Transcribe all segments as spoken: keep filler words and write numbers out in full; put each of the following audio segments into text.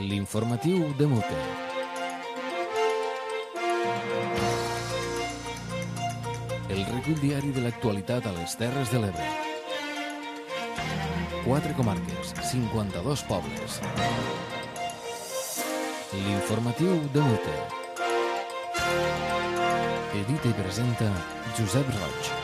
L'informatiu de Mute. El recull diari de l'actualitat a les Terres de l'Ebre. Quatre comarques, cinquanta-dos pobles. L'informatiu de Mute. Edita i presenta Josep Roig.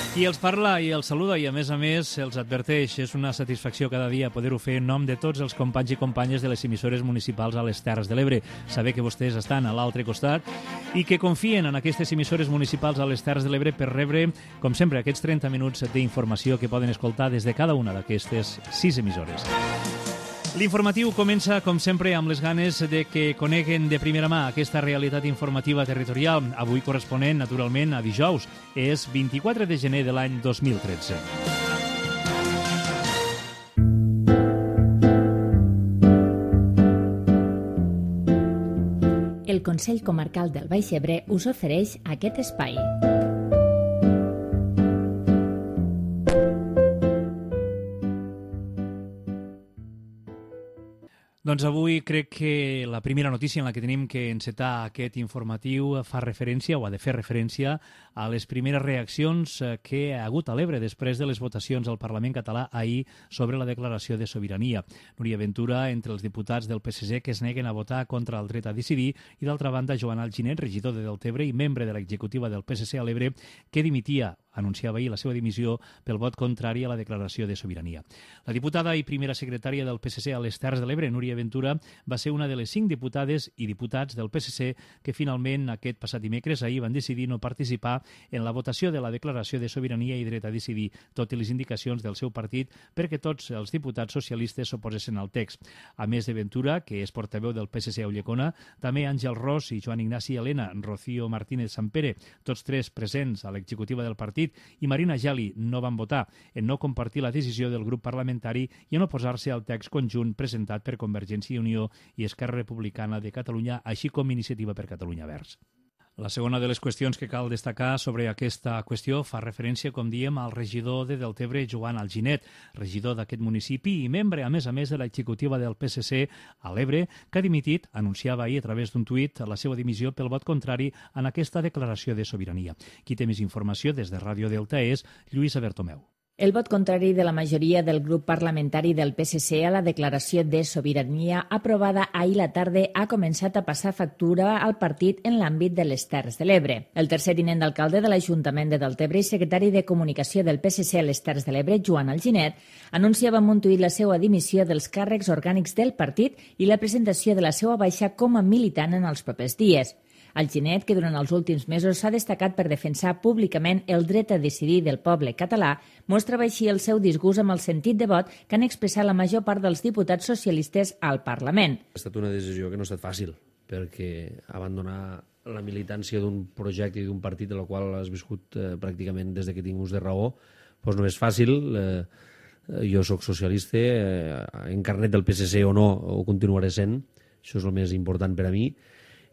Qui els parla i els saluda i, a més a més, els adverteix. És una satisfacció cada dia poder-ho fer en nom de tots els companys i companyes de les emissores municipals a les Terres de l'Ebre. Saber que vostès estan a l'altre costat i que confien en aquestes emissores municipals a les Terres de l'Ebre per rebre, com sempre, aquests trenta minuts d'informació que poden escoltar des de cada una d'aquestes sis emissores. L'informatiu comença, com sempre, amb les ganes de que coneguen de primera mà aquesta realitat informativa territorial, avui corresponent, naturalment, a dijous. És vint-i-quatre de gener de l'any dos mil tretze. El Consell Comarcal del Baix Ebre us ofereix aquest espai. Doncs avui crec que la primera notícia en la que tenim que encetar aquest informatiu fa referència, o ha de fer referència, a les primeres reaccions que ha hagut a l'Ebre després de les votacions al Parlament català ahir sobre la declaració de sobirania. Núria Ventura, entre els diputats del P S C que es neguen a votar contra el dret a decidir, i d'altra banda Joan Alginet, regidor de Deltebre i membre de l'executiva del P S C a l'Ebre, que dimitia anunciava ahir la seva dimissió pel vot contrari a la declaració de sobirania. La diputada i primera secretària del P S C a les Terres de l'Ebre, Núria Ventura, va ser una de les cinc diputades i diputats del P S C que finalment aquest passat dimecres ahir van decidir no participar en la votació de la declaració de sobirania i dret a decidir, tot i les indicacions del seu partit perquè tots els diputats socialistes s'oposessin al text. A més de Ventura, que és portaveu del P S C a Ulldecona, també Àngel Ros i Joan Ignasi Helena, Rocío Martínez Sampere, tots tres presents a l'executiva del partit, i Marina Geli no van votar en no compartir la decisió del grup parlamentari i en oposar-se al text conjunt presentat per Convergència i Unió i Esquerra Republicana de Catalunya, així com Iniciativa per Catalunya Verds. La segona de les qüestions que cal destacar sobre aquesta qüestió fa referència, com diem, al regidor de Deltebre, Joan Alginet, regidor d'aquest municipi i membre, a més a més, de l'executiva del P S C a l'Ebre, que ha dimitit, anunciava ahir a través d'un tuit, la seva dimissió pel vot contrari en aquesta declaració de sobirania. Qui té més informació des de Ràdio Delta és Lluïsa Bertomeu. El vot contrari de la majoria del grup parlamentari del P S C a la declaració de sobirania aprovada ahir la tarda ha començat a passar factura al partit en l'àmbit de les Terres de l'Ebre. El tercer tinent d'alcalde de l'Ajuntament de Deltebre i secretari de Comunicació del P S C a les Terres de l'Ebre, Joan Alginet, anunciava en un tuit la seva dimissió dels càrrecs orgànics del partit i la presentació de la seva baixa com a militant en els propers dies. Alginet, que durant els últims mesos s'ha destacat per defensar públicament el dret a decidir del poble català, mostrava així el seu disgust amb el sentit de vot que han expressat la major part dels diputats socialistes al Parlament. Ha estat una decisió que no ha estat fàcil, perquè abandonar la militància d'un projecte i d'un partit de la qual has viscut eh, pràcticament des que tinc ús de raó, doncs no és fàcil. Eh, jo sóc socialista, eh, en carnet del P S C o no, ho continuaré sent, això és el més important per a mi.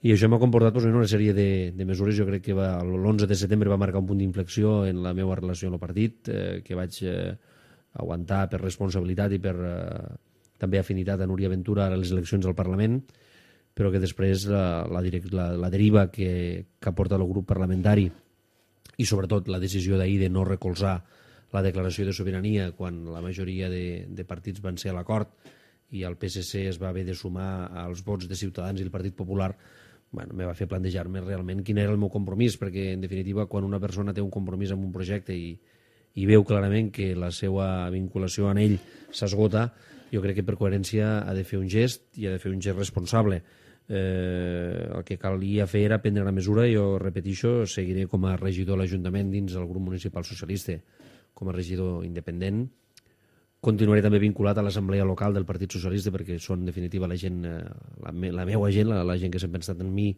I això m'ha comportat doncs, una sèrie de, de mesures. Jo crec que l'onze de setembre va marcar un punt d'inflexió en la meva relació amb el partit, eh, que vaig eh, aguantar per responsabilitat i per eh, també afinitat a Núria Ventura a les eleccions al Parlament, però que després la, la, la, la deriva que, que ha portat el grup parlamentari i sobretot la decisió d'ahir de no recolzar la declaració de sobirania quan la majoria de, de partits van ser a l'acord i el P S C es va haver de sumar als vots de Ciutadans i el Partit Popular, bueno, me va fer plantejar-me realment quin era el meu compromís, perquè en definitiva quan una persona té un compromís amb un projecte i, i veu clarament que la seva vinculació en ell s'esgota, jo crec que per coherència ha de fer un gest i ha de fer un gest responsable. Eh, el que calia fer era prendre la mesura. Jo repetixo, seguiré com a regidor de l'Ajuntament dins del grup municipal socialista, com a regidor independent. Continuaré també vinculat a l'assemblea local del Partit Socialista perquè són, en definitiva, la gent, la, me, la meva gent, la, la gent que sempre ha estat en mi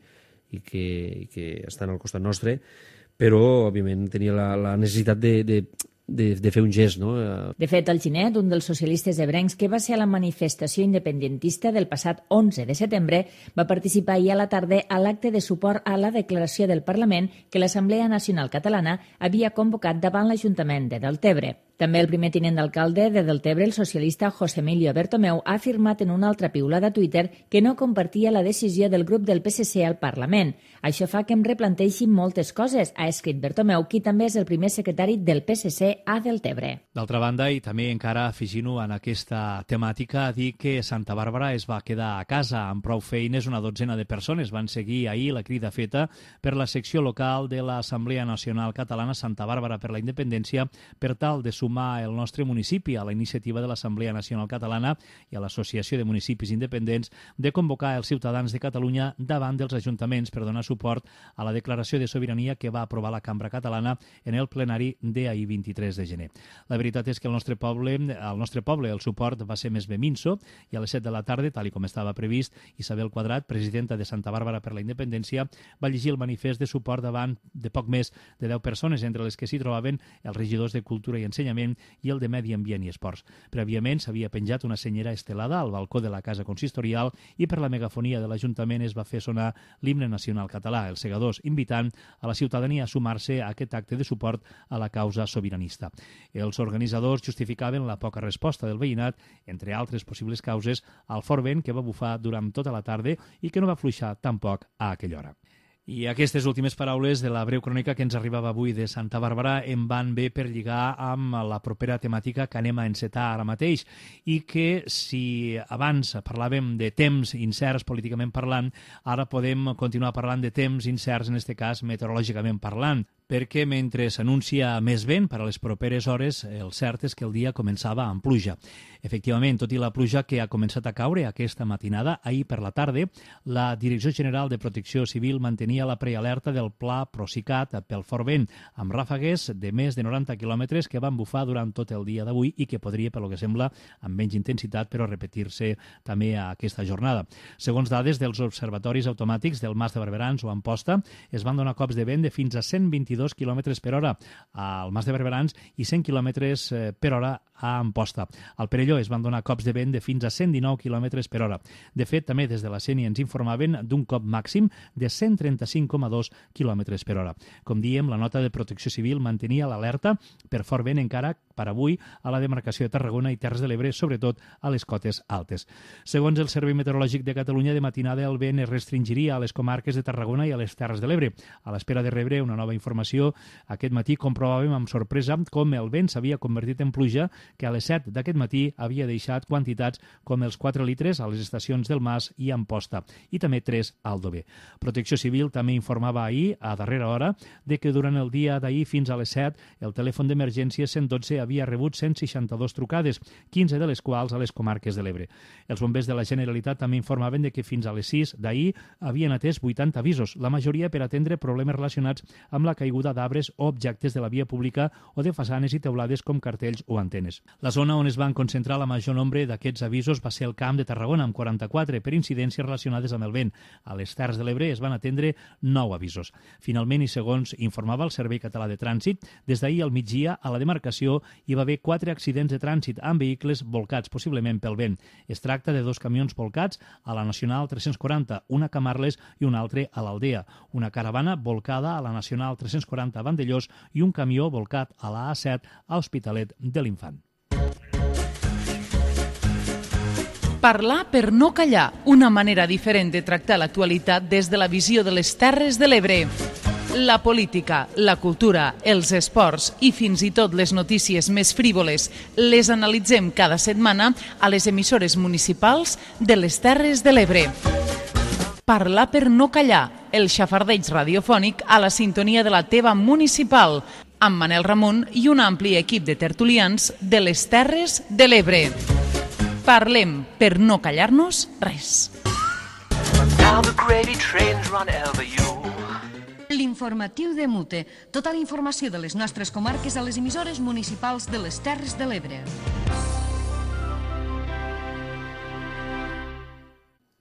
i que, i que estan al costat nostre, però, òbviament, tenia la, la necessitat de, de, de, de fer un gest, no? De fet, Alginet, un dels socialistes ebrencs que va ser a la manifestació independentista del passat onze de setembre, va participar ahir a la tarda a l'acte de suport a la declaració del Parlament que l'Assemblea Nacional Catalana havia convocat davant l'Ajuntament de Deltebre. També el primer tinent d'alcalde de Deltebre, el socialista José Emilio Bertomeu, ha afirmat en una altra piulada a Twitter que no compartia la decisió del grup del P S C al Parlament. Això fa que em replanteixi moltes coses, ha escrit Bertomeu, qui també és el primer secretari del P S C a Deltebre. D'altra banda, i també encara afegint-ho en aquesta temàtica, dir que Santa Bàrbara es va quedar a casa amb prou feines. Una dotzena de persones van seguir ahir la crida feta per la secció local de l'Assemblea Nacional Catalana Santa Bàrbara per la Independència per tal de sumar el nostre municipi a la iniciativa de l'Assemblea Nacional Catalana i a l'Associació de Municipis Independents de convocar els ciutadans de Catalunya davant dels ajuntaments per donar suport a la declaració de sobirania que va aprovar la Cambra Catalana en el plenari d'ahir vint-i-tres de gener. La veritat és que al nostre poble, al nostre poble el suport va ser més bé minso i a les set de la tarda, tal com estava previst, Isabel Quadrat, presidenta de Santa Bàrbara per la Independència, va llegir el manifest de suport davant de poc més de deu persones, entre les que s'hi trobaven els regidors de Cultura i Ensenyament i el de Medi Ambient i Esports. Prèviament s'havia penjat una senyera estelada al balcó de la Casa Consistorial i per la megafonia de l'Ajuntament es va fer sonar l'himne nacional català, els segadors, invitant a la ciutadania a sumar-se a aquest acte de suport a la causa sobiranista. Els organitzadors justificaven la poca resposta del veïnat, entre altres possibles causes, al fort vent que va bufar durant tota la tarda i que no va fluixar tampoc a aquella hora. I aquestes últimes paraules de la breu crònica que ens arribava avui de Santa Bàrbara em van bé per lligar amb la propera temàtica que anem a encetar ara mateix i que si abans parlàvem de temps incerts políticament parlant, ara podem continuar parlant de temps incerts, en aquest cas meteorològicament parlant, perquè mentre s'anuncia més vent per a les properes hores, el cert és que el dia començava amb pluja. Efectivament, tot i la pluja que ha començat a caure aquesta matinada, ahir per la tarda, la Direcció General de Protecció Civil mantenia la prealerta del Pla Procicat pel fort vent, amb ràfegues de més de noranta quilòmetres que van bufar durant tot el dia d'avui i que podria, pel que sembla, amb menys intensitat, però repetir-se també a aquesta jornada. Segons dades dels observatoris automàtics del Mas de Barberans o Amposta, es van donar cops de vent de fins a cent vint-i-dos quilòmetres per hora al Mas de Barberans i cent quilòmetres per hora a Amposta. Al Perelló es van donar cops de vent de fins a cent dinou quilòmetres per hora. De fet, també des de la Sénia ens informaven d'un cop màxim de cent trenta-cinc coma dos quilòmetres per hora. Com diem, la nota de Protecció Civil mantenia l'alerta per fort vent encara per avui a la demarcació de Tarragona i Terres de l'Ebre, sobretot a les cotes altes. Segons el Servei Meteorològic de Catalunya, de matinada el vent es restringiria a les comarques de Tarragona i a les Terres de l'Ebre. A l'espera de rebre una nova informació, aquest matí comprovàvem amb sorpresa com el vent s'havia convertit en pluja, que a les set d'aquest matí havia deixat quantitats com els quatre litres a les estacions del Mas i Amposta, i també tres al Dover. Protecció Civil també informava ahir, a darrera hora, de que durant el dia d'ahir fins a les set el telèfon d'emergència cent dotze havia rebut cent seixanta-dos trucades, quinze de les quals a les comarques de l'Ebre. Els bombers de la Generalitat també informaven de que fins a les sis d'ahir havien atès vuitanta avisos, la majoria per atendre problemes relacionats amb la caiguda d'arbres o objectes de la via pública o de façanes i teulades com cartells o antenes. La zona on es van concentrar la major nombre d'aquests avisos va ser el Camp de Tarragona, amb quaranta-quatre, per incidències relacionades amb el vent. A les Terres de l'Ebre es van atendre nou avisos. Finalment, i segons informava el Servei Català de Trànsit, des d'ahir al migdia a la demarcació hi va haver quatre accidents de trànsit amb vehicles volcats, possiblement pel vent. Es tracta de dos camions volcats a la Nacional tres-cents quaranta, una a Camarles i un altre a l'Aldea, una caravana volcada a la Nacional tres-cents quaranta a Vandellós i un camió volcat a la A set a Hospitalet de l'Infant. Parlar per no callar, una manera diferent de tractar l'actualitat des de la visió de les Terres de l'Ebre. La política, la cultura, els esports i fins i tot les notícies més frívoles les analitzem cada setmana a les emissores municipals de les Terres de l'Ebre. Parlar per no callar, el xafardeig radiofònic a la sintonia de la teva municipal, amb Manel Ramon i un ampli equip de tertulians de les Terres de l'Ebre. Parlem per no callar-nos res. L'informatiu de Mute. Tota la informació de les nostres comarques a les emissores municipals de les Terres de l'Ebre.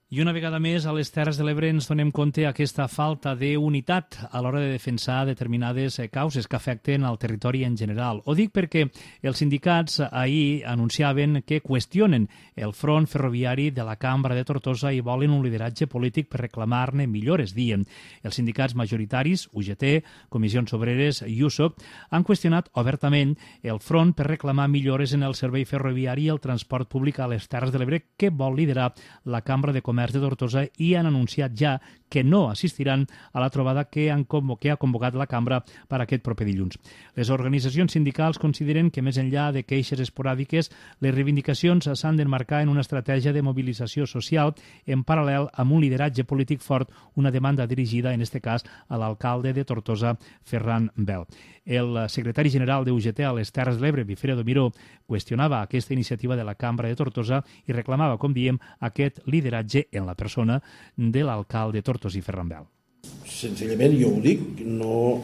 I una vegada més, a les Terres de l'Ebre ens donem compte aquesta falta d'unitat a l'hora de defensar determinades causes que afecten al territori en general. Ho dic perquè els sindicats ahir anunciaven que qüestionen el front ferroviari de la Cambra de Tortosa i volen un lideratge polític per reclamar-ne millores, diuen. Els sindicats majoritaris, U G T, Comissions Obreres i U S O C, han qüestionat obertament el front per reclamar millores en el servei ferroviari i el transport públic a les Terres de l'Ebre que vol liderar la Cambra de Comerç de Tortosa i han anunciat ja que no assistiran a la trobada que, han convo que ha convocat la Cambra per aquest proper dilluns. Les organitzacions sindicals consideren que, més enllà de queixes esporàdiques, les reivindicacions s'han d'emmarcar en una estratègia de mobilització social en paral·lel amb un lideratge polític fort, una demanda dirigida, en aquest cas, a l'alcalde de Tortosa, Ferran Bel. El secretari general de U G T a les Terres de l'Ebre, Bifredo Miró, qüestionava aquesta iniciativa de la Cambra de Tortosa i reclamava, com diem, aquest lideratge en la persona de l'alcalde tortosí Ferran Bel. Senzillament, jo ho dic, no,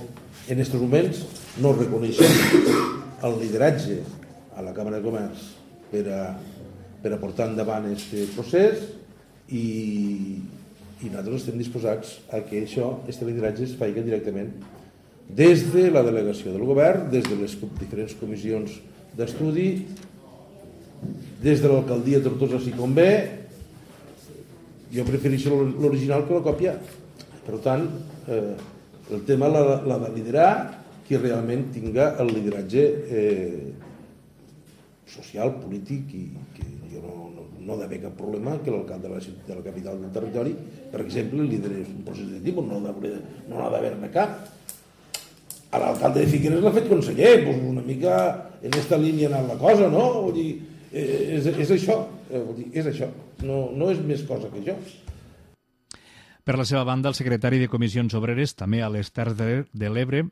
en aquests moments no reconeixem el lideratge a la Cambra de Comerç per a, per a portar endavant aquest procés i, i nosaltres estem disposats a que això, aquest lideratge es faci directament des de la delegació del govern, des de les diferents comissions d'estudi, des de l'alcaldia de Tortosa si convé. Jo prefereixo l'original que la còpia. Per tant, eh, el tema l'ha de liderar qui realment tinga el lideratge eh, social, polític, i que jo no, no, no ha d'haver cap problema que l'alcalde de, de la capital del territori, per exemple, liderés un procés de tipus, no n'ha d'haver-ne cap. A l'alcalde de Figueres l'ha fet conseller, doncs una mica en aquesta línia ha anat la cosa, no? Vull dir, és, és això, vull dir, és això, no, no és més cosa que això. Per la seva banda, el secretari de Comissions Obreres, també a les Terres de l'Ebre,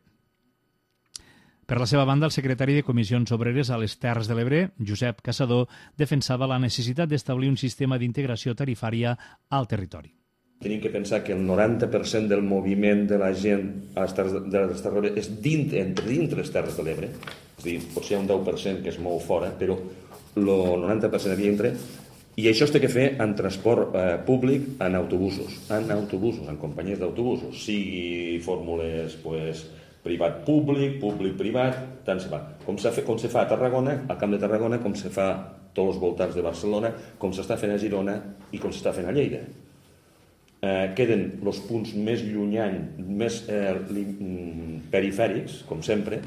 Per la seva banda, el secretari de Comissions Obreres a les Terres de l'Ebre, Josep Caçador, defensava la necessitat d'establir un sistema d'integració tarifària al territori. Tenim que pensar que el noranta per cent del moviment de la gent a les terres de les Terres de l'Ebre és dins, entre dins les Terres de l'Ebre. És a dir, potser hi ha un deu per cent que es mou fora, però el noranta per cent aquí entra. I això es té que fer en transport eh, públic, en autobusos, en autobusos, en companyies d'autobusos, sigui fórmules pues, privat-públic, públic-privat, tant se fa. Com se, fa, com se fa a Tarragona, al Camp de Tarragona, com se fa a tots els voltants de Barcelona, com s'està fent a Girona i com s'està fent a Lleida. Eh, queden els punts més llunyans, més eh, perifèrics, com sempre,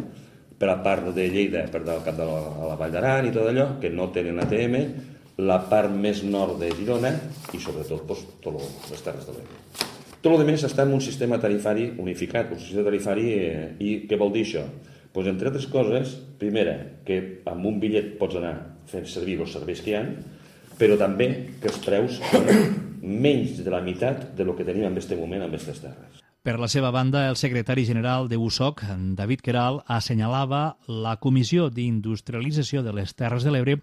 per a part de Lleida, per al cap de la, a la Vall d'Aran i tot allò, que no tenen A T M, la part més nord de Girona i sobretot pues, totes les Terres de l'Ebre. Tot el que està en un sistema tarifari unificat, un sistema tarifari, eh, i què vol dir això? Pues, entre altres coses, primera, que amb un bitllet pots anar fent servir els serveis que hi ha, però també que els preus són menys de la meitat de lo que tenim en aquest moment en aquestes terres. Per la seva banda, el secretari general de U S O C, David Queralt, assenyalava la Comissió d'Industrialització de les Terres de l'Ebre,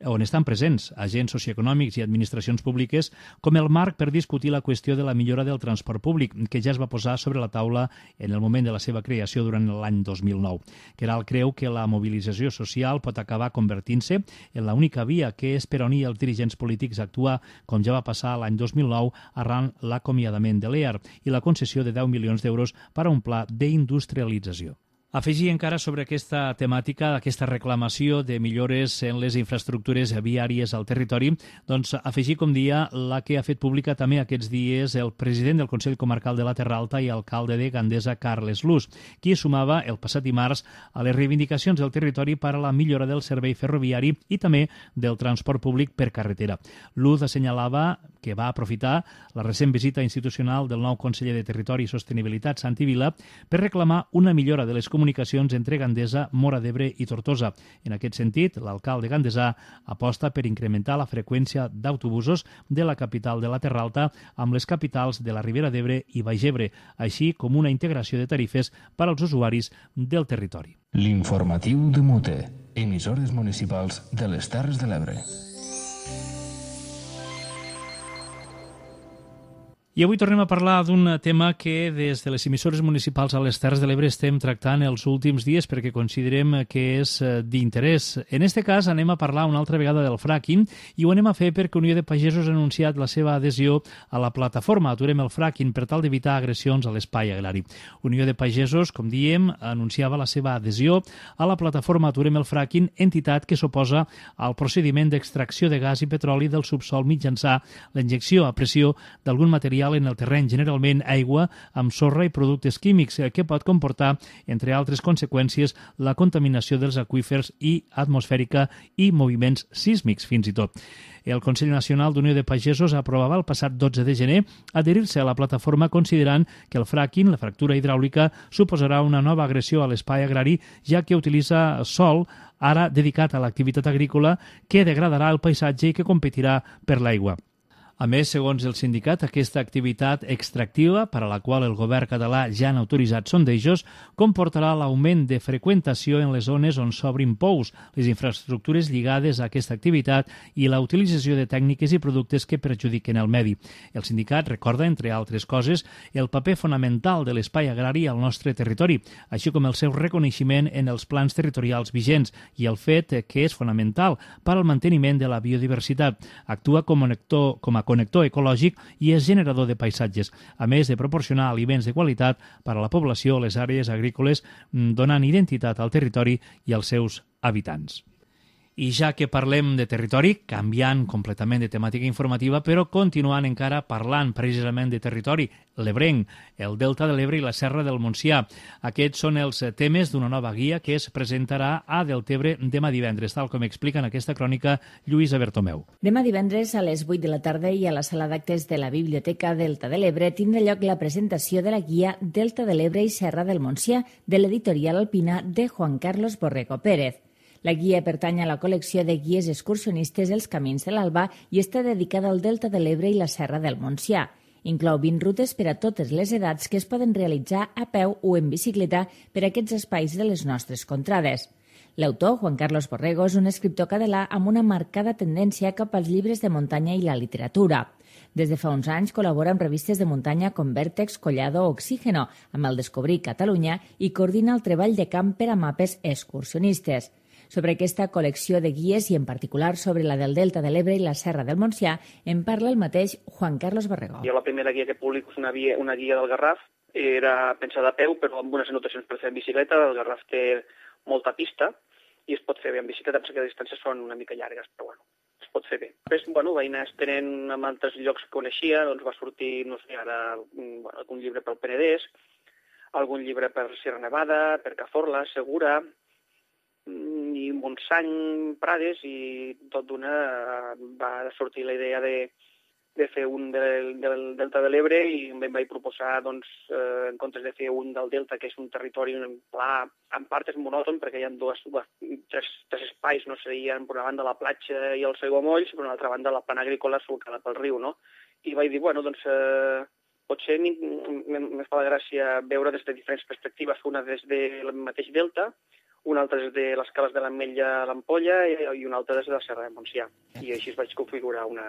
on estan presents agents socioeconòmics i administracions públiques, com el marc per discutir la qüestió de la millora del transport públic, que ja es va posar sobre la taula en el moment de la seva creació durant l'any dos mil nou. Queralt creu que la mobilització social pot acabar convertint-se en l'única via que és per unir els dirigents polítics a actuar, com ja va passar l'any dos mil nou arran l'acomiadament de l'E A R i la concessió de deu milions d'euros per a un pla d'industrialització. Afegir encara sobre aquesta temàtica, aquesta reclamació de millores en les infraestructures viàries al territori, doncs afegir, com dia, la que ha fet pública també aquests dies el president del Consell Comarcal de la Terra Alta i alcalde de Gandesa, Carles Luz, qui sumava el passat dimarts a les reivindicacions del territori per a la millora del servei ferroviari i també del transport públic per carretera. Luz assenyalava que va aprofitar la recent visita institucional del nou conseller de Territori i Sostenibilitat, Santi Vila, per reclamar una millora de les comunicacions entre Gandesa, Móra d'Ebre i Tortosa. En aquest sentit, l'alcalde gandesà aposta per incrementar la freqüència d'autobusos de la capital de la Terra Alta amb les capitals de la Ribera d'Ebre i Baix Ebre, així com una integració de tarifes per als usuaris del territori. L'informatiu de Mute, emissores municipals de les Terres de l'Ebre. I avui tornem a parlar d'un tema que des de les emissores municipals a les Terres de l'Ebre estem tractant els últims dies perquè considerem que és d'interès. En aquest cas anem a parlar una altra vegada del fracking i ho anem a fer perquè Unió de Pagesos ha anunciat la seva adhesió a la plataforma Aturem el fracking per tal d'evitar agressions a l'espai agrari. Unió de Pagesos, com diem, anunciava la seva adhesió a la plataforma Aturem el fracking, entitat que s'oposa al procediment d'extracció de gas i petroli del subsol mitjançant la injecció a pressió d'algun material en el terreny, generalment aigua amb sorra i productes químics, que pot comportar, entre altres conseqüències, la contaminació dels aqüífers i atmosfèrica i moviments sísmics, fins i tot. El Consell Nacional d'Unió de Pagesos aprovava el passat dotze de gener adherir-se a la plataforma considerant que el fracking, la fractura hidràulica, suposarà una nova agressió a l'espai agrari, ja que utilitza sòl ara dedicat a l'activitat agrícola que degradarà el paisatge i que competirà per l'aigua. A més, segons el sindicat, aquesta activitat extractiva, per a la qual el govern català ja han autoritzat sondejos, comportarà l'augment de freqüentació en les zones on s'obrin pous, les infraestructures lligades a aquesta activitat i la utilització de tècniques i productes que perjudiquen el medi. El sindicat recorda, entre altres coses, el paper fonamental de l'espai agrari al nostre territori, així com el seu reconeixement en els plans territorials vigents i el fet que és fonamental per al manteniment de la biodiversitat. Actua com a connector, com a connector ecològic i és generador de paisatges, a més de proporcionar aliments de qualitat per a la població a les àrees agrícoles, donant identitat al territori i als seus habitants. I ja que parlem de territori, canviant completament de temàtica informativa, però continuant encara parlant precisament de territori, l'Ebrenc, el Delta de l'Ebre i la Serra del Montsià. Aquests són els temes d'una nova guia que es presentarà a Deltebre demà divendres, tal com explica en aquesta crònica Lluïsa Bertomeu. Demà divendres a les vuit de la tarda i a la sala d'actes de la Biblioteca Delta de l'Ebre tindrà lloc la presentació de la guia Delta de l'Ebre i Serra del Montsià de l'editorial alpina de Juan Carlos Borrego Pérez. La guia pertany a la col·lecció de guies excursionistes Els Camins de l'Alba i està dedicada al Delta de l'Ebre i la Serra del Montsià. Inclou vint rutes per a totes les edats que es poden realitzar a peu o en bicicleta per a aquests espais de les nostres contrades. L'autor, Juan Carlos Borrego, és un escriptor català amb una marcada tendència cap als llibres de muntanya i la literatura. Des de fa uns anys col·labora amb revistes de muntanya com Vèrtex, Collado o Oxígeno, amb el Descobrir Catalunya i coordina el treball de camp per a mapes excursionistes. Sobre aquesta col·lecció de guies i en particular sobre la del Delta de l'Ebre i la Serra del Montsià en parla el mateix Juan Carlos Borrego. Jo la primera guia que publico és una, via, una guia del Garraf, era pensada a peu però amb unes anotacions per fer en bicicleta. El Garraf té molta pista i es pot fer bé en bicicleta, perquè les distàncies són una mica llargues, però bueno, es pot fer bé. Després, bueno, vaig anar estenent amb altres llocs que coneixia, doncs va sortir, no sé, ara bueno, algun llibre pel Penedès, algun llibre per Sierra Nevada, per Cazorla, Segura, i Montseny, Prades, i tot d'una va sortir la idea de, de fer un del, del Delta de l'Ebre i em vaig proposar, doncs, eh, en comptes de fer un del Delta, que és un territori pla, en part és monòton, perquè hi ha dos, tres, tres espais, no serien per una banda la platja i els aiguamolls, per una altra banda la plana agrícola solcada pel riu, no? I vaig dir, bueno, doncs, eh, potser me fa la gràcia veure des de diferents perspectives, una des del mateix Delta, una altra des de les cales de l'Ametlla a l'Ampolla i una altra des de la Serra del Montsià. I així es vaig configurar una,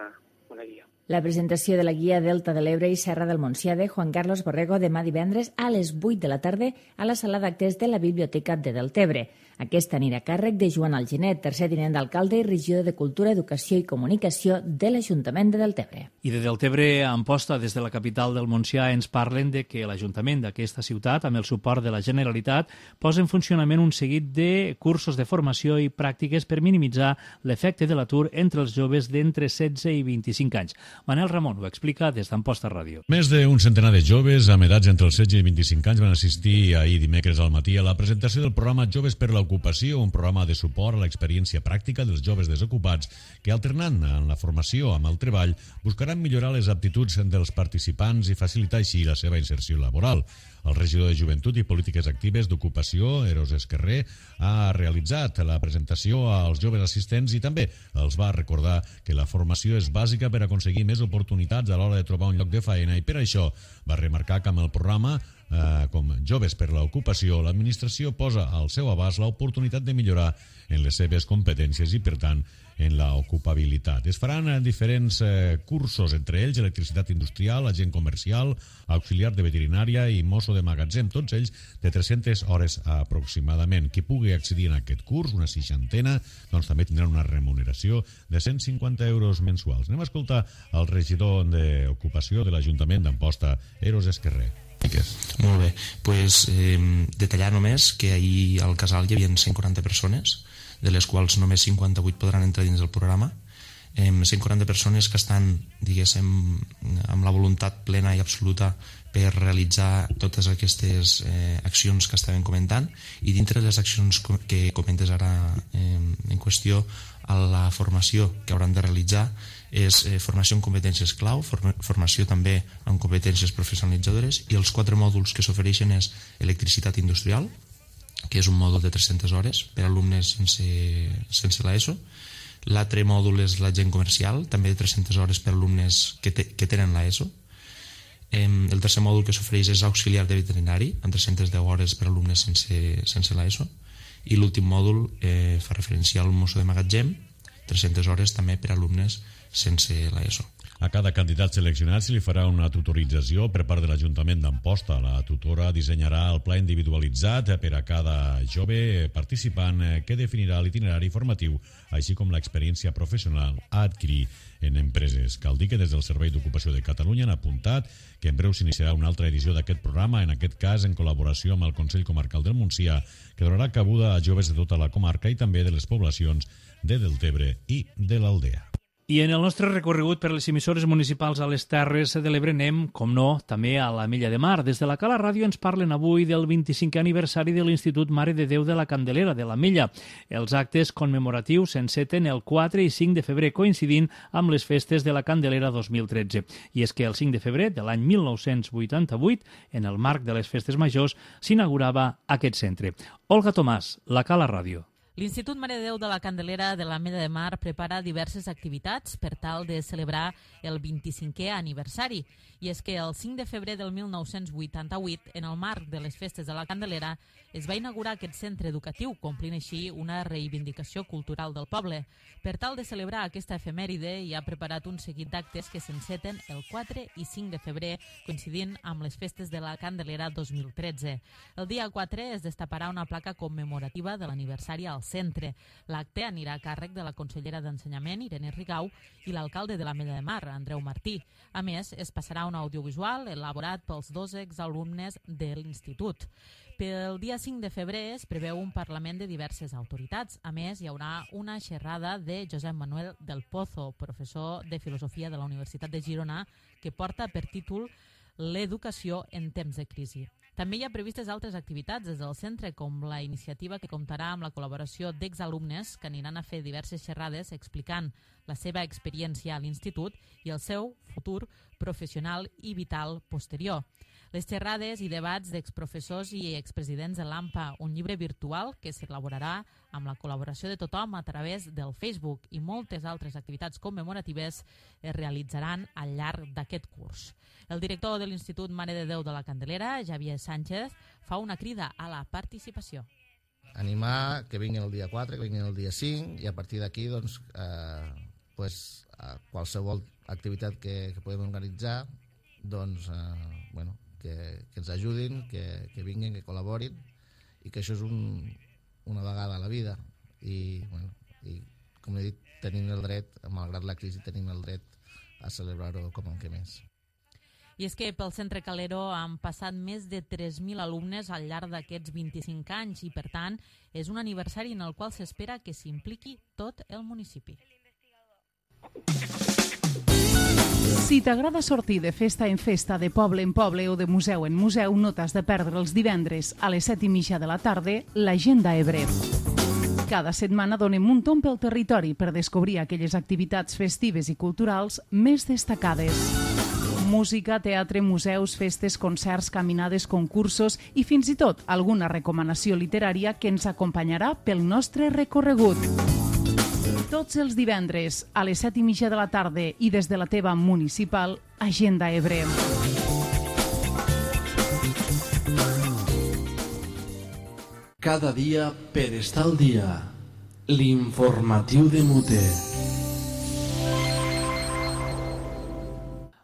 una guia. La presentació de la guia Delta de l'Ebre i Serra del Montsià de Juan Carlos Borrego demà divendres a les vuit de la tarda a la sala d'actes de la Biblioteca de Deltebre. Aquesta anirà a càrrec de Joan Alginet, tercer tinent d'alcalde i regidor de Cultura, Educació i Comunicació de l'Ajuntament de Deltebre. I de Deltebre a Amposta, des de la capital del Montsià, ens parlen de que l'Ajuntament d'aquesta ciutat, amb el suport de la Generalitat, posa en funcionament un seguit de cursos de formació i pràctiques per minimitzar l'efecte de l'atur entre els joves d'entre setze i vint-i-cinc anys. Manel Ramon ho explica des d'Amposta Ràdio. Més d'un centenar de joves amb edats entre els setze i vint-i-cinc anys van assistir ahir dimecres al matí a la presentació del programa Joves per l'Ocupació, un programa de suport a l'experiència pràctica dels joves desocupats que, alternant en la formació amb el treball, buscaran millorar les aptituds dels participants i facilitar així la seva inserció laboral. El regidor de Joventut i Polítiques Actives d'Ocupació, Eros Esquerrer, ha realitzat la presentació als joves assistents i també els va recordar que la formació és bàsica per aconseguir més oportunitats a l'hora de trobar un lloc de feina i per això va remarcar que amb el programa eh, com Joves per l'Ocupació, l'administració posa al seu abast l'oportunitat de millorar en les seves competències i, per tant, en la ocupabilitat. Es faran diferents eh, cursos, entre ells electricitat industrial, agent comercial, auxiliar de veterinària i mosso de magatzem, tots ells de tres-centes hores aproximadament. Qui pugui accedir en aquest curs, una seixantena, doncs també tindran una remuneració de cent cinquanta euros mensuals. Anem a escoltar el regidor d'Ocupació de l'Ajuntament d'Amposta, Eros Esquerrer. Molt bé, pues, eh, detallar només que ahir al casal hi havia cent quaranta persones, de les quals només cinquanta-vuit podran entrar dins del programa. Eh, cent quaranta persones que estan, diguéssim, amb la voluntat plena i absoluta per realitzar totes aquestes eh, accions que estàvem comentant, i dintre de les accions que comentes ara eh, en qüestió, a la formació que hauran de realitzar és eh, formació en competències clau, form formació també en competències professionalitzadores, i els quatre mòduls que s'ofereixen és electricitat industrial, que és un mòdul de tres-centes hores per a alumnes sense, sense l'ESO. L'altre mòdul és l'agent comercial, també de tres-centes hores per a alumnes que, te, que tenen l'ESO. Eh, el tercer mòdul que s'ofereix és auxiliar de veterinari, amb tres-centes deu hores per a alumnes sense, sense l'ESO. I l'últim mòdul eh, fa referència al mosso de magatzem, tres-centes hores també per a alumnes sense l'ESO. A cada candidat seleccionat se li farà una tutorització per part de l'Ajuntament d'Amposta. La tutora dissenyarà el pla individualitzat per a cada jove participant que definirà l'itinerari formatiu, així com l'experiència professional a adquirir en empreses. Cal dir que des del Servei d'Ocupació de Catalunya han apuntat que en breu s'iniciarà una altra edició d'aquest programa, en aquest cas en col·laboració amb el Consell Comarcal del Montsià, que donarà cabuda a joves de tota la comarca i també de les poblacions de Deltebre i de l'Aldea. I en el nostre recorregut per les emissores municipals a les Terres de l'Ebre anem, com no, també a la Milla de Mar. Des de la Cala Ràdio ens parlen avui del vint-i-cinquè aniversari de l'Institut Mare de Déu de la Candelera de la Milla. Els actes commemoratius s'enceten el quatre i cinc de febrer, coincidint amb les festes de la Candelera dos mil tretze. I és que el cinc de febrer de l'any mil nou-cents vuitanta-vuit, en el marc de les festes majors, s'inaugurava aquest centre. Olga Tomàs, la Cala Ràdio. L'Institut Mare de Déu de la Candelera de la Milla de Mar prepara diverses activitats per tal de celebrar el vint-i-cinquè aniversari. I és que el cinc de febrer del mil nou-cents vuitanta-vuit, en el marc de les festes de la Candelera, es va inaugurar aquest centre educatiu, complint així una reivindicació cultural del poble. Per tal de celebrar aquesta efemèride, hi ha preparat un seguit d'actes que s'enceten el quatre i cinc de febrer, coincidint amb les festes de la Candelera dos mil tretze. El dia quatre es destaparà una placa commemorativa de l'aniversari al centre. L'acte anirà a càrrec de la consellera d'Ensenyament, Irene Rigau, i l'alcalde de la Milla de Mar, Andreu Martí. A més, es passarà un audiovisual elaborat pels dos exalumnes de l'institut. Pel dia cinc de febrer es preveu un parlament de diverses autoritats. A més, hi haurà una xerrada de Josep Manuel del Pozo, professor de Filosofia de la Universitat de Girona, que porta per títol l'educació en temps de crisi. També hi ha previstes altres activitats des del centre, com la iniciativa que comptarà amb la col·laboració d'exalumnes que aniran a fer diverses xerrades explicant la seva experiència a l'institut i el seu futur professional i vital posterior. Les xerrades i debats d'exprofessors i expresidents de l'AMPA, un llibre virtual que s'elaborarà amb la col·laboració de tothom a través del Facebook, i moltes altres activitats commemoratives es realitzaran al llarg d'aquest curs. El director de l'Institut Mare de Déu de la Candelera, Javier Sánchez, fa una crida a la participació. Animar que vinguin el dia quatre, que vinguin el dia cinc, i a partir d'aquí doncs, eh, pues, eh, qualsevol activitat que, que podem organitzar, doncs, eh, bueno, que, que ens ajudin, que, que vinguin, que col·laborin, i que això és un, una vegada a la vida. I, bueno, i com he dit, tenim el dret, malgrat la crisi, tenim el dret a celebrar-ho com en què més. I és que pel Centre Calero han passat més de tres mil alumnes al llarg d'aquests vint-i-cinc anys i, per tant, és un aniversari en el qual s'espera que s'impliqui tot el municipi. Si t'agrada sortir de festa en festa, de poble en poble o de museu en museu, no t'has de perdre els divendres a les set i mitja de la tarda l'Agenda Ebre. Cada setmana donem un tomb pel territori per descobrir aquelles activitats festives i culturals més destacades. Música, teatre, museus, festes, concerts, caminades, concursos i fins i tot alguna recomanació literària que ens acompanyarà pel nostre recorregut. Tots els divendres a les set i mitja de la tarda i des de la teva municipal Agenda Ebre. Cada dia per estar al dia. L'informatiu de Mute.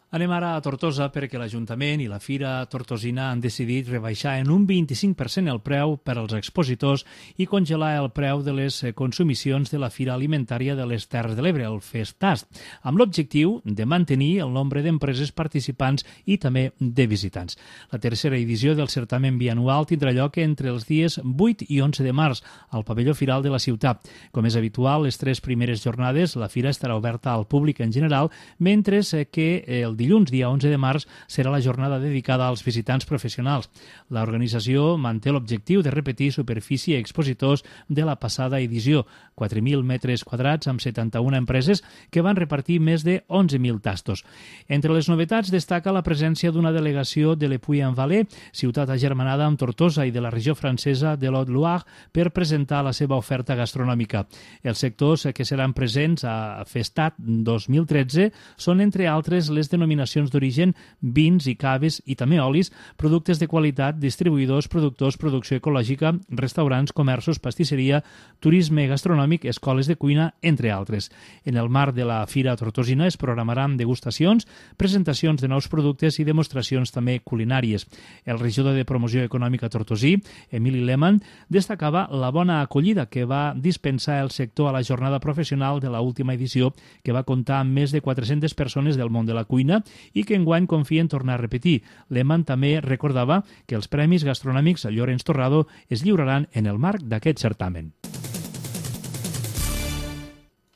Anem ara a Tortosa perquè l'Ajuntament i la Fira Tortosina han decidit rebaixar en un vint-i-cinc per cent el preu per als expositors i congelar el preu de les consumicions de la Fira Alimentària de les Terres de l'Ebre, el Festast, amb l'objectiu de mantenir el nombre d'empreses participants i també de visitants. La tercera edició del certamen bianual tindrà lloc entre els dies vuit i onze de març al pavelló Firal de la ciutat. Com és habitual, les tres primeres jornades la fira estarà oberta al públic en general, mentre que el dilluns, dia onze de març, serà la jornada dedicada als visitants professionals. L'organització manté l'objectiu de repetir superfície i expositors de la passada edició, quatre mil metres quadrats amb setanta-una empreses que van repartir més de onze mil tastos. Entre les novetats destaca la presència d'una delegació de Le Puy-en-Velay, ciutat agermanada amb Tortosa i de la regió francesa de l'Haute-Loire, per presentar la seva oferta gastronòmica. Els sectors que seran presents a Festat dos mil tretze són, entre altres, les denominacions d'origen, vins i caves i també olis, productes de qualitat, distribuïdors, productors, producció ecològica, restaurants, comerços, pastisseria, turisme gastronòmic, escoles de cuina, entre altres. En el marc de la Fira Tortosina es programaran degustacions, presentacions de nous productes i demostracions també culinàries. El regidor de Promoció Econòmica tortosí, Emili Lehmann, destacava la bona acollida que va dispensar el sector a la jornada professional de l'última edició, que va comptar amb més de quatre-centes persones del món de la cuina i que enguany confia en tornar a repetir. Lehmann també recordava que els Premis Gastronòmics Llorenç Torrado es lliuraran en el marc d'aquest certamen.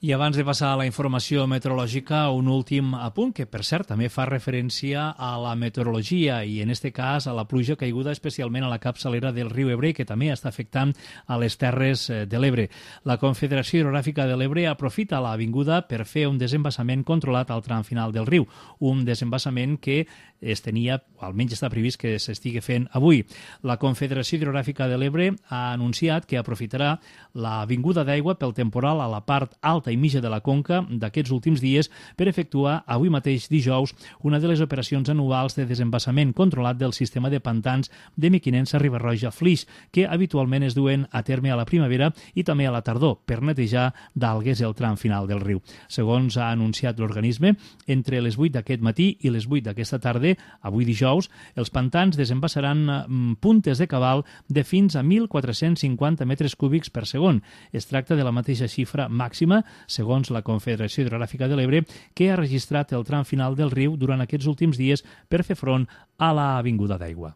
I abans de passar a la informació meteorològica, un últim apunt que, per cert, també fa referència a la meteorologia i, en aquest cas, a la pluja caiguda especialment a la capçalera del riu Ebre, que també està afectant a les Terres de l'Ebre. La Confederació Hidrogràfica de l'Ebre aprofita l'avinguda per fer un desembassament controlat al tram final del riu, un desembassament que es tenia, o almenys està previst que s'estigui fent avui. La Confederació Hidrogràfica de l'Ebre ha anunciat que aprofitarà l'avinguda d'aigua pel temporal a la part alta i mitja de la conca d'aquests últims dies per efectuar avui mateix dijous una de les operacions anuals de desembassament controlat del sistema de pantans de Mequinensa, Riba-roja, Flix, que habitualment es duen a terme a la primavera i també a la tardor per netejar d'algues el tram final del riu. Segons ha anunciat l'organisme, entre les vuit d'aquest matí i les vuit d'aquesta tarda, avui dijous, els pantans desembassaran puntes de cabal de fins a mil quatre-cents cinquanta metres cúbics per segon. Es tracta de la mateixa xifra màxima, segons la Confederació Hidrogràfica de l'Ebre, que ha registrat el tram final del riu durant aquests últims dies per fer front a la vinguda d'aigua.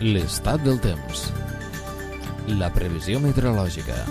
L'estat del temps. La previsió meteorològica.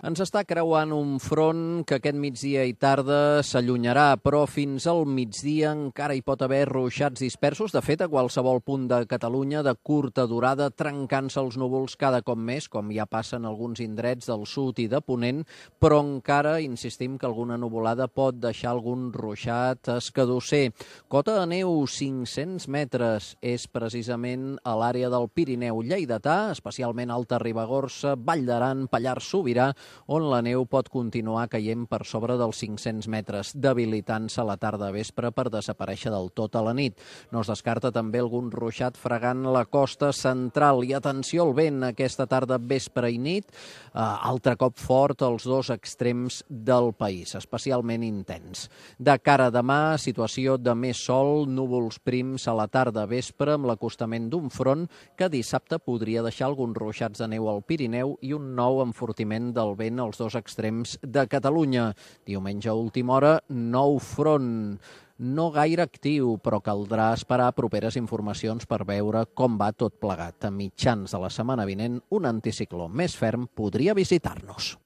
Ens està creuant un front que aquest migdia i tarda s'allunyarà, però fins al migdia encara hi pot haver ruixats dispersos. De fet, a qualsevol punt de Catalunya de curta durada, trencant-se els núvols cada cop més, com ja passa en alguns indrets del sud i de Ponent, però encara insistim que alguna nuvolada pot deixar algun ruixat escadusser. Cota de neu, cinc-cents metres, és precisament a l'àrea del Pirineu lleidatà, especialment Alta Ribagorça, Vall d'Aran, Pallars Sobirà, on la neu pot continuar caient per sobre dels cinc-cents metres, debilitant-se a la tarda vespre per desaparèixer del tot a la nit. No es descarta també algun ruixat fregant la costa central. I atenció al vent aquesta tarda, vespre i nit, eh, altre cop fort als dos extrems del país, especialment intens. De cara a demà, situació de més sol, núvols prims a la tarda vespre amb l'acostament d'un front que dissabte podria deixar alguns ruixats de neu al Pirineu i un nou enfortiment del vent als dos extrems de Catalunya. Diumenge a última hora, nou front. No gaire actiu, però caldrà esperar properes informacions per veure com va tot plegat. A mitjans de la setmana vinent, un anticicló més ferm podria visitar-nos.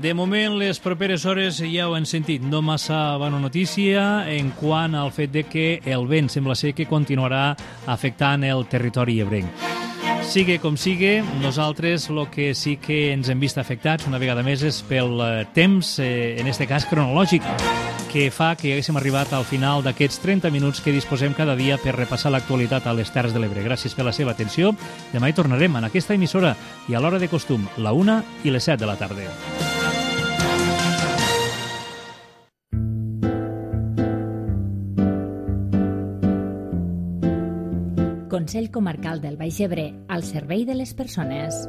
De moment, les properes hores ja ho hem sentit, no massa bona notícia en quant al fet de que el vent sembla ser que continuarà afectant el territori ebrenc. Sigue com sigue, nosaltres el que sí que ens hem vist afectats una vegada més és pel temps, eh, en aquest cas cronològic, que fa que haguéssim arribat al final d'aquests trenta minuts que disposem cada dia per repassar l'actualitat a les Terres de l'Ebre. Gràcies per la seva atenció. Demà hi tornarem en aquesta emissora i a l'hora de costum, la una i les set de la tarda. Consell Comarcal del Baix Ebre, al servei de les persones.